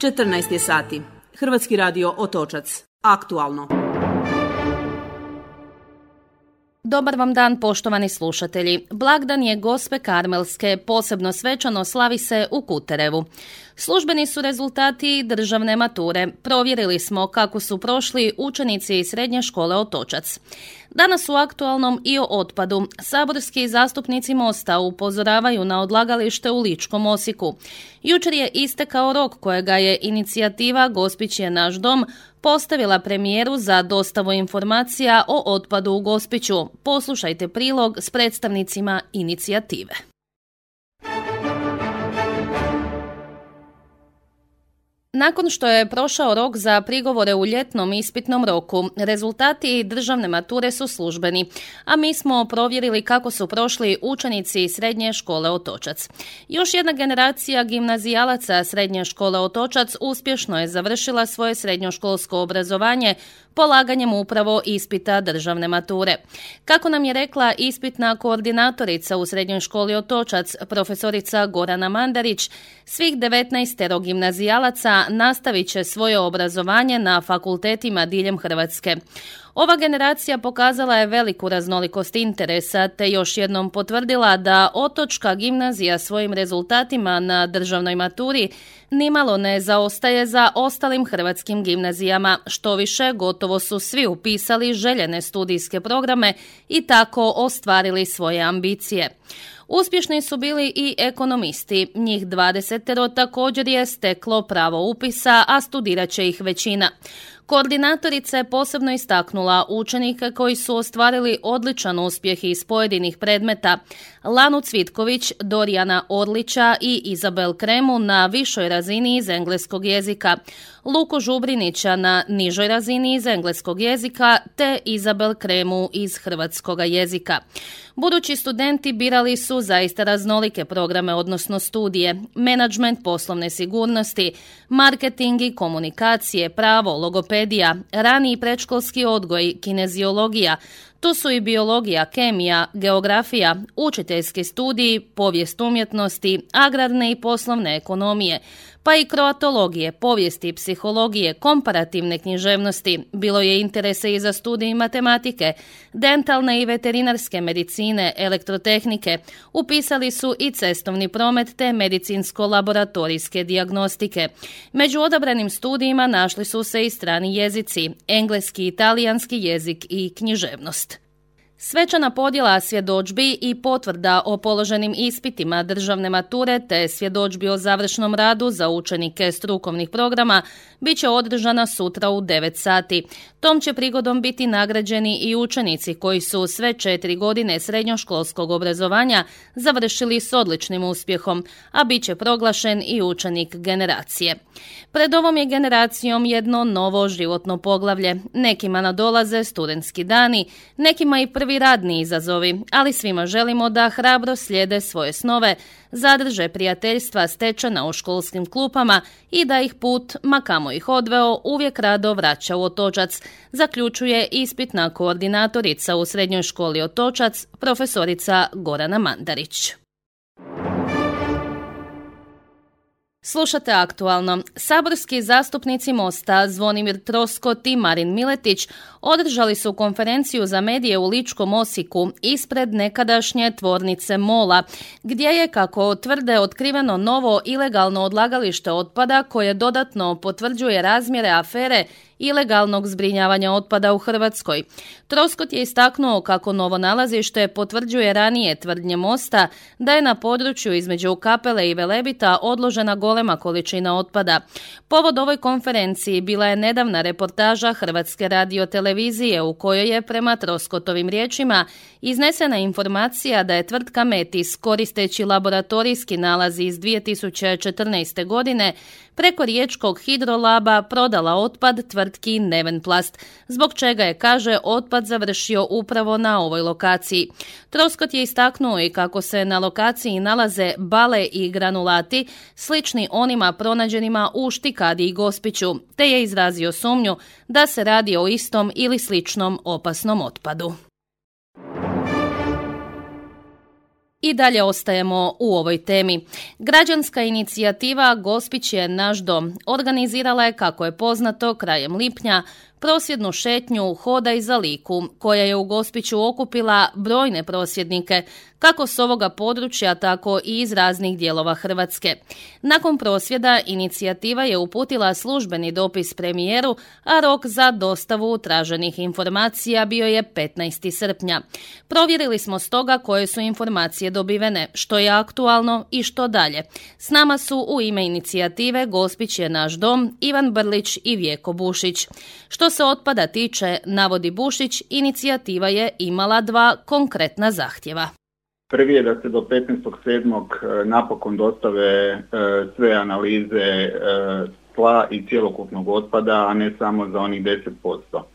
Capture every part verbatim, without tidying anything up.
četrnaest je sati. Hrvatski radio Otočac. Aktualno. Dobar vam dan, poštovani slušatelji. Blagdan je Gospe Karmelske, posebno svečano slavi se u Kuterevu. Službeni su rezultati državne mature. Provjerili smo kako su prošli učenici iz srednje škole Otočac. Danas u aktualnom i o otpadu. Saborski zastupnici Mosta upozoravaju na odlagalište u Ličkom Osijeku. Jučer je istekao rok kojega je inicijativa Gospić je naš dom postavila premijeru za dostavu informacija o otpadu u Gospiću. Poslušajte prilog s predstavnicima inicijative. Nakon što je prošao rok za prigovore u ljetnom ispitnom roku, rezultati državne mature su službeni, a mi smo provjerili kako su prošli učenici srednje škole Otočac. Još jedna generacija gimnazijalaca srednje škole Otočac uspješno je završila svoje srednjoškolsko obrazovanje polaganjem upravo ispita državne mature. Kako nam je rekla ispitna koordinatorica u srednjoj školi Otočac, profesorica Gorana Mandarić, svih devetnaest gimnazijalaca nastavit će svoje obrazovanje na fakultetima diljem Hrvatske. Ova generacija pokazala je veliku raznolikost interesa te još jednom potvrdila da Otočka gimnazija svojim rezultatima na državnoj maturi nimalo ne zaostaje za ostalim hrvatskim gimnazijama. Što više, gotovo su svi upisali željene studijske programe i tako ostvarili svoje ambicije. Uspješni su bili i ekonomisti. Njih dvadesetero također je steklo pravo upisa, a studirat će ih većina. Koordinatorica je posebno istaknula učenike koji su ostvarili odličan uspjeh iz pojedinih predmeta: Lanu Cvitković, Dorijana Orlića i Izabel Kremu na višoj razini iz engleskog jezika, Luku Žubrinića na nižoj razini iz engleskog jezika te Izabel Kremu iz hrvatskog jezika. Budući studenti birali su zaista raznolike programe, odnosno studije: menadžment poslovne sigurnosti, marketing i komunikacije, pravo, logopedija, rani i predškolski odgoj, kineziologija. Tu su i biologija, kemija, geografija, učiteljski studiji, povijest umjetnosti, agrarne i poslovne ekonomije, pa i kroatologije, povijesti i psihologije, komparativne književnosti. Bilo je interesa i za studij matematike, dentalne i veterinarske medicine, elektrotehnike. Upisali su i cestovni promet te medicinsko-laboratorijske dijagnostike. Među odabranim studijima našli su se i strani jezici, engleski, italijanski jezik i književnost. Svečana podjela svjedodžbi i potvrda o položenim ispitima državne mature te svjedodžbi o završnom radu za učenike strukovnih programa bit će održana sutra u devet sati. Tom će prigodom biti nagrađeni i učenici koji su sve četiri godine srednjoškolskog obrazovanja završili s odličnim uspjehom, a bit će proglašen i učenik generacije. Pred ovom je generacijom jedno novo životno poglavlje. Nekima nadolaze studentski dani, nekima i prvi radni izazovi, ali svima želimo da hrabro slijede svoje snove, zadrže prijateljstva stečena u školskim klupama i da ih put, ma kamo ih odveo, uvijek rado vraća u Otočac, zaključuje ispitna koordinatorica u srednjoj školi Otočac, profesorica Gorana Mandarić. Slušate aktualno. Saborski zastupnici Mosta Zvonimir Troskot i Marin Miletić održali su konferenciju za medije u Ličkom Osijeku ispred nekadašnje tvornice Mola, gdje je, kako tvrde, otkriveno novo ilegalno odlagalište otpada koje dodatno potvrđuje razmjere afere ilegalnog zbrinjavanja otpada u Hrvatskoj. Troskot je istaknuo kako novo nalazište potvrđuje ranije tvrdnje Mosta da je na području između Kapele i Velebita odložena golema količina otpada. Povod ovoj konferenciji bila je nedavna reportaža Hrvatske radiotelevizije u kojoj je, prema Troskotovim riječima, iznesena informacija da je tvrtka Metis, koristeći laboratorijski nalaz iz dvije tisuće četrnaeste. godine, preko riječkog hidrolaba prodala otpad tvrtki Nevenplast, zbog čega je, kaže, otpad završio upravo na ovoj lokaciji. Troskot je istaknuo i kako se na lokaciji nalaze bale i granulati slični onima pronađenima u Štikadi i Gospiću, te je izrazio sumnju da se radi o istom ili sličnom opasnom otpadu. I dalje ostajemo u ovoj temi. Građanska inicijativa Gospić je naš dom organizirala je, kako je poznato, krajem lipnja prosvjednu šetnju Hodaj za Liku, koja je u Gospiću okupila brojne prosvjednike, kako s ovoga područja, tako i iz raznih dijelova Hrvatske. Nakon prosvjeda inicijativa je uputila službeni dopis premijeru, a rok za dostavu traženih informacija bio je petnaestog srpnja. Provjerili smo stoga koje su informacije dobivene, što je aktualno i što dalje. S nama su u ime inicijative Gospić je naš dom Ivan Brlić i Vjeko Bušić. Što se otpada tiče, navodi Bušić, inicijativa je imala dva konkretna zahtjeva. Prvi je da se do petnaestog sedmog napokon dostave sve analize tla i cjelokupnog otpada, a ne samo za onih deset posto.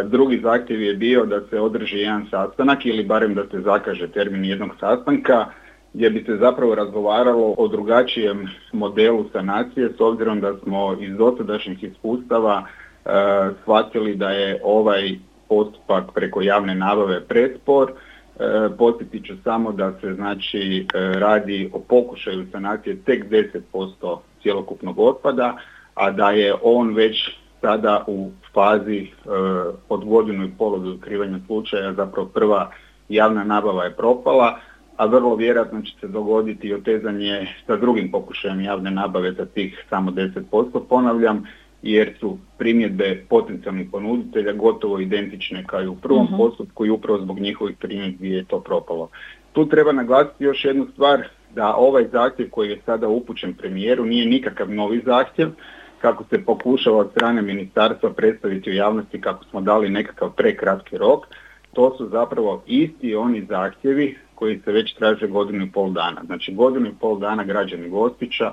Drugi zahtjev je bio da se održi jedan sastanak ili barem da se zakaže termin jednog sastanka gdje bi se zapravo razgovaralo o drugačijem modelu sanacije, s obzirom da smo iz dosadašnjih iskustava shvatili da je ovaj postupak preko javne nabave prespor. Podsjetit ću samo da se znači radi o pokušaju sanacije tek deset posto cjelokupnog otpada, a da je on već sada u fazi od godinu i pol od otkrivanja slučaja, zapravo prva javna nabava je propala, a vrlo vjerojatno će se dogoditi i otezanje sa drugim pokušajem javne nabave za tih samo deset posto, ponavljam, jer su primjedbe potencijalnih ponuditelja gotovo identične kao i u prvom uh-huh. postupku i upravo zbog njihovih primjedbi je to propalo. Tu treba naglasiti još jednu stvar, da ovaj zahtjev koji je sada upućen premijeru nije nikakav novi zahtjev, kako se pokušava od strane ministarstva predstaviti u javnosti kako smo dali nekakav prekratki rok. To su zapravo isti oni zahtjevi koji se već traže godinu i pol dana. Znači godinu i pol dana građani Gospića,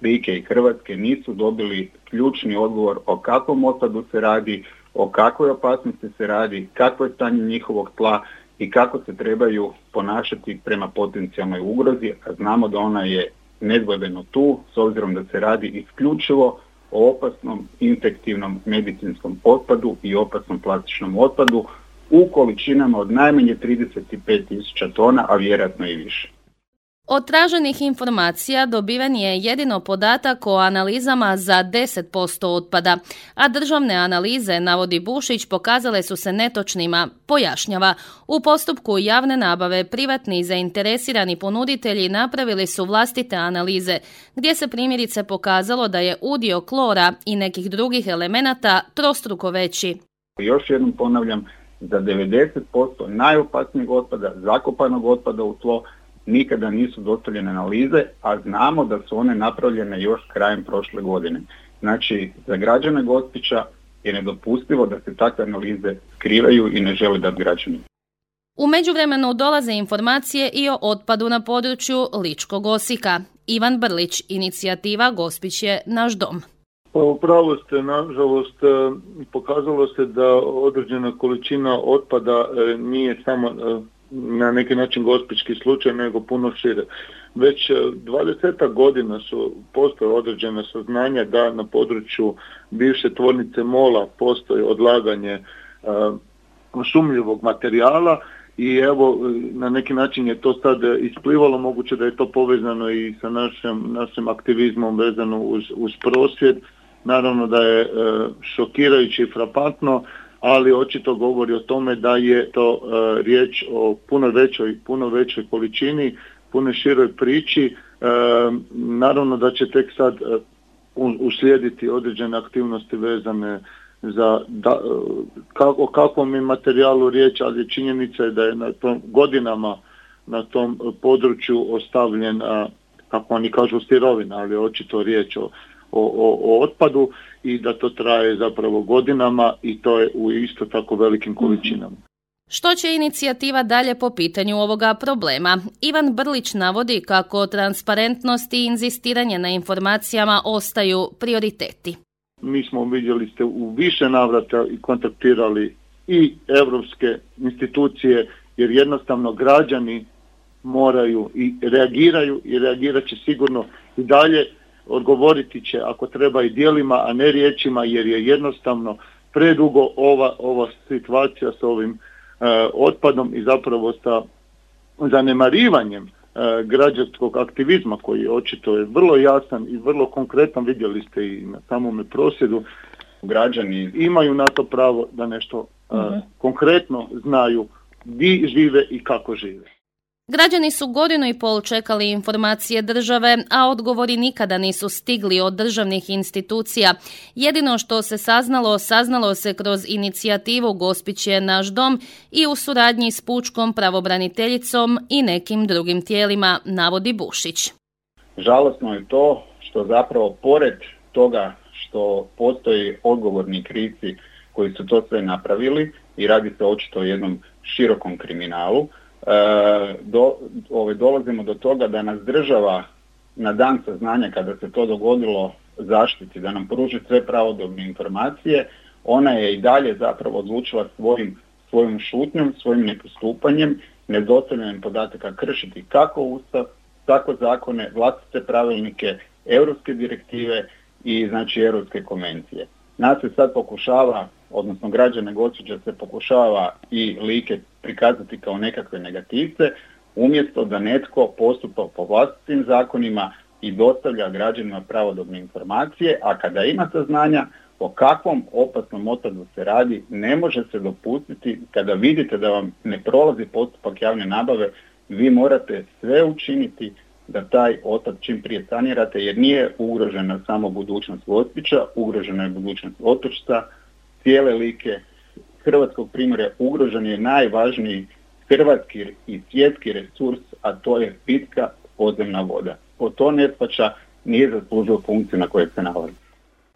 Like i Hrvatske nisu dobili ključni odgovor o kakvom otpadu se radi, o kakvoj opasnosti se radi, kakvo je stanje njihovog tla i kako se trebaju ponašati prema potencijalnoj ugrozi, a znamo da ona je nedvojbeno tu, s obzirom da se radi isključivo o opasnom infektivnom medicinskom otpadu i opasnom plastičnom otpadu u količinama od najmanje trideset pet tisuća tona, a vjerojatno i više. Od traženih informacija dobiven je jedino podatak o analizama za deset posto otpada, a državne analize, navodi Bušić, pokazale su se netočnima. Pojašnjava, u postupku javne nabave privatni zainteresirani ponuditelji napravili su vlastite analize, gdje se primjerice pokazalo da je udio klora i nekih drugih elemenata trostruko veći. Još jednom ponavljam, za devedeset posto najopasnijeg otpada, zakopanog otpada u tlo, nikada nisu dostavljene analize, a znamo da su one napravljene još krajem prošle godine. Znači, za građane Gospića je nedopustivo da se takve analize skrivaju i ne žele dati građanima. U međuvremenu dolaze informacije i o otpadu na području Ličkog Osijeka. Ivan Brlić, inicijativa Gospić je naš dom. Pa upravo ste, nažalost, pokazalo se da određena količina otpada nije samo na neki način gospićki slučaj, nego puno šire. Već dvadesetak godina su postoje određene saznanja da na području bivše tvornice Mola postoji odlaganje uh, sumnjivog materijala i evo na neki način je to sad isplivalo, moguće da je to povezano i sa našim, našim aktivizmom vezano uz, uz prosvjed. Naravno da je uh, šokirajuće i frapantno, ali očito govori o tome da je to uh, riječ o puno većoj, puno većoj količini, puno široj priči. Uh, naravno da će tek sad uh, uslijediti određene aktivnosti vezane za da, uh, kako, o kakvom je materijalu riječ, ali činjenica je da je na tom godinama na tom području ostavljen, uh, kako oni kažu, sirovina, ali očito riječ o O, o, o otpadu i da to traje zapravo godinama i to je u isto tako velikim količinama. Što će inicijativa dalje po pitanju ovoga problema? Ivan Brlić navodi kako transparentnost i inzistiranje na informacijama ostaju prioriteti. Mi smo, vidjeli ste, u više navrata i kontaktirali i europske institucije, jer jednostavno građani moraju i reagiraju i reagirat će sigurno i dalje. Odgovoriti će ako treba i djelima, a ne riječima, jer je jednostavno predugo ova, ova situacija s ovim e, otpadom i zapravo sa zanemarivanjem e, građanskog aktivizma koji očito je vrlo jasan i vrlo konkretan, vidjeli ste i na samome prosvjedu, građani imaju na to pravo da nešto e, uh-huh. konkretno znaju gdje žive i kako žive. Građani su godinu i pol čekali informacije države, a odgovori nikada nisu stigli od državnih institucija. Jedino što se saznalo, saznalo se kroz inicijativu Gospić je naš dom i u suradnji s pučkom pravobraniteljicom i nekim drugim tijelima, navodi Bušić. Žalosno je to što zapravo pored toga što postoji odgovorni krivci koji su to sve napravili i radi se očito o jednom širokom kriminalu, Do, ove, dolazimo do toga da nas država na dan saznanja kada se to dogodilo zaštiti, da nam pruži sve pravodobne informacije. Ona je i dalje zapravo odlučila svojim, svojom šutnjom, svojim nepostupanjem, nedostavljanjem podataka kršiti kako Ustav, tako zakone, vlastite pravilnike, europske direktive i znači europske konvencije. Nas se sad pokušava, odnosno građane Gospića se pokušava i Like prikazati kao nekakve negativce, umjesto da netko postupa po vlastitim zakonima i dostavlja građanima pravodobne informacije, a kada ima saznanja o kakvom opasnom otpadu se radi, ne može se dopustiti, kada vidite da vam ne prolazi postupak javne nabave, vi morate sve učiniti da taj otpad čim prije sanirate, jer nije ugrožena samo budućnost Gospića, ugrožena je budućnost Otočca, cijele Like, Hrvatskog primorja, ugrožen je najvažniji hrvatski i svjetski resurs, a to je pitka podzemna voda. Po to ne shvaća, nije zaslužio funkciju na kojoj se nalazi.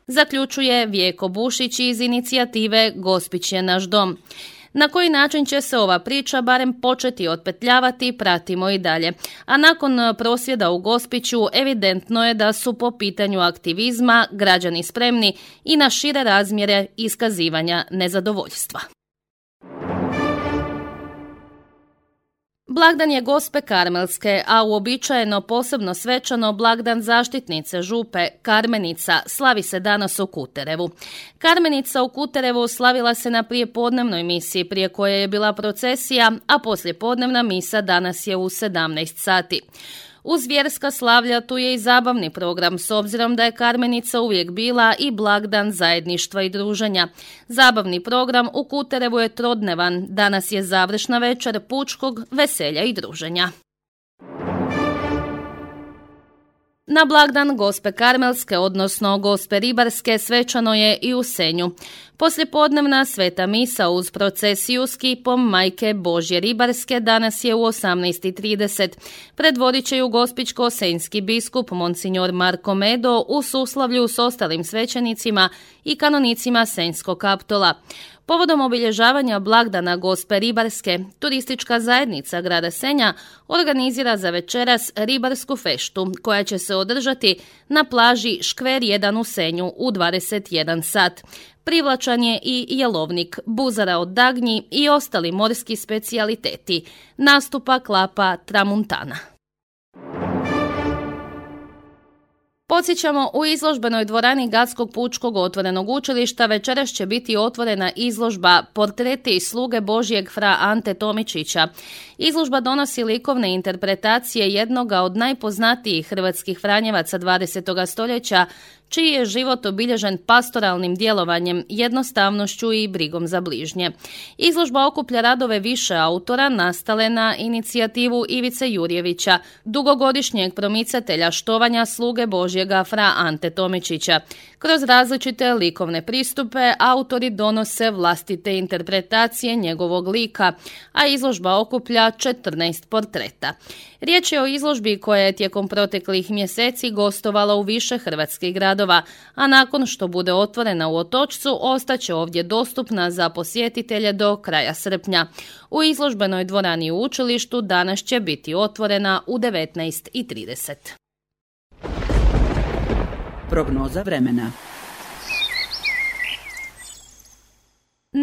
Zaključuje Vjeko Bušić iz inicijative Gospić je naš dom. Na koji način će se ova priča barem početi otpetljavati, pratimo i dalje. A nakon prosvjeda u Gospiću evidentno je da su po pitanju aktivizma građani spremni i na šire razmjere iskazivanja nezadovoljstva. Blagdan je Gospe Karmelske, a uobičajeno posebno svečano blagdan zaštitnice župe Karmenica slavi se danas u Kuterevu. Karmenica u Kuterevu slavila se na prijepodnevnoj misiji prije koje je bila procesija, a poslijepodnevna misa danas je u sedamnaest sati. Uz vjerska slavlja tu je i zabavni program, s obzirom da je Karmenica uvijek bila i blagdan zajedništva i druženja. Zabavni program u Kuterevu je trodnevan, danas je završna večer pučkog veselja i druženja. Na blagdan Gospe Karmelske, odnosno Gospe Ribarske, svečano je i u Senju. Poslijepodnevna sveta misa uz procesiju s kipom Majke Božje Ribarske danas je u osamnaest i trideset. Predvodit će ju gospićko-senjski biskup Monsignor Marko Medo u suslavlju s ostalim svećenicima i kanonicima Senjskog kaptola. Povodom obilježavanja blagdana Gospe Ribarske, turistička zajednica grada Senja organizira za večeras ribarsku feštu koja će se održati na plaži Škver jedan u Senju u dvadeset jedan sat. Privlačan je i jelovnik, buzara od dagnji i ostali morski specijaliteti. Nastupa klapa Tramuntana. Podsjećamo, u izložbenoj dvorani Gradskog pučkog otvorenog učilišta večeras će biti otvorena izložba Portreti sluge Božjeg fra Ante Tomičića. Izložba donosi likovne interpretacije jednoga od najpoznatijih hrvatskih franjevaca dvadesetog stoljeća, čiji je život obilježen pastoralnim djelovanjem, jednostavnošću i brigom za bližnje. Izložba okuplja radove više autora nastale na inicijativu Ivice Jurjevića, dugogodišnjeg promicatelja štovanja sluge Božjega fra Ante Tomičića. Kroz različite likovne pristupe autori donose vlastite interpretacije njegovog lika, a izložba okuplja četrnaest portreta. Riječ je o izložbi koja je tijekom proteklih mjeseci gostovala u više hrvatskih gradova, a nakon što bude otvorena u Otočcu, ostaće ovdje dostupna za posjetitelje do kraja srpnja. U izložbenoj dvorani u učilištu danas će biti otvorena u devetnaest i trideset. Prognoza vremena.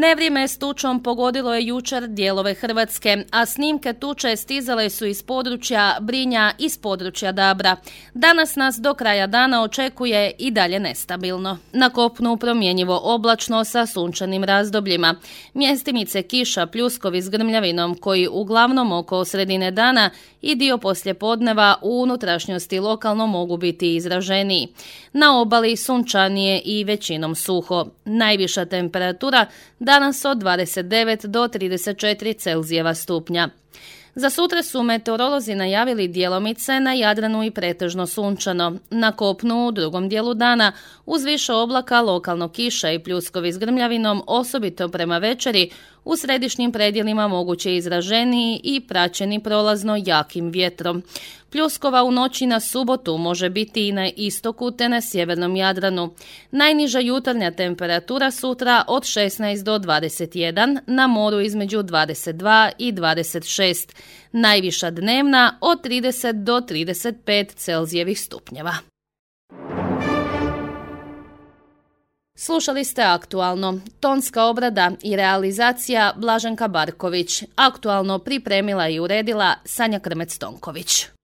Nevrijeme s tučom pogodilo je jučer dijelove Hrvatske, a snimke tuče stizale su iz područja Brinja, iz područja Dabra. Danas nas do kraja dana očekuje i dalje nestabilno. Na kopnu promjenjivo oblačno sa sunčanim razdobljima. Mjestimice kiša, pljuskovi s grmljavinom koji uglavnom oko sredine dana i dio poslijepodneva u unutrašnjosti lokalno mogu biti izraženiji. Na obali sunčanije i većinom suho. Najviša temperatura danas od dvadeset devet do trideset četiri Celzijeva stupnja. Za sutra su meteorolozi najavili djelomice na Jadranu i pretežno sunčano. Na kopnu u drugom dijelu dana uz više oblaka, lokalno kiša i pljuskovi s grmljavinom, osobito prema večeri, u središnjim predjelima moguće izraženiji i praćeni prolazno jakim vjetrom. Pljuskova u noći na subotu može biti i na istoku te na sjevernom Jadranu. Najniža jutarnja temperatura sutra od šesnaest do dvadeset jedan, na moru između dvadeset dva i dvadeset šest. Najviša dnevna od trideset do trideset pet Celzijevih stupnjeva. Slušali ste Aktualno. Tonska obrada i realizacija Blaženka Barković. Aktualno pripremila i uredila Sanja Krmec-Tonković.